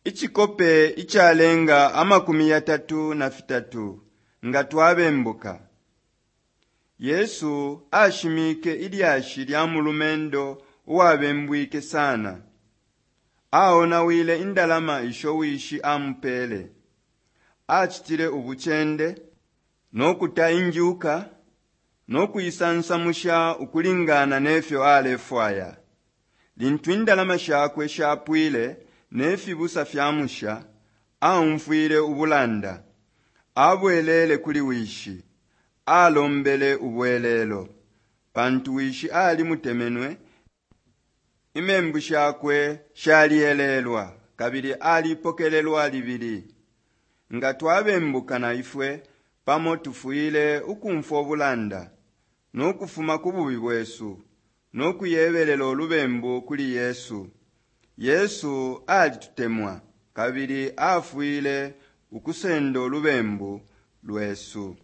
Icikope icalenga 33 nga twabembuka. Yesu ashimike ilyashi lya mulumendo uwabembwike sana. Aonawile indalama isho wishi amupele. Acitile ubucende, no kuta injuka, no kuisansamusha ukulingana ne fyo alefwaya. Lintu indalama shakwe shapwile ne fibusa fyamusha, aumfwile ubulanda. Abwelele kuli wishi. Alombele ubwelelo. Pantu wishi alimutemenwe, imembu shakwe shalielelwa kabili alipokelelwa libili. Nga twabembuka na ifwe pamo tufwile ukumfwo bulanda, no kufuma ku bubi bwesu, no kuyebelelo lubembu kuli Yesu. Yesu alitutemwa kabili afwile ukusendo lubembu lwesu.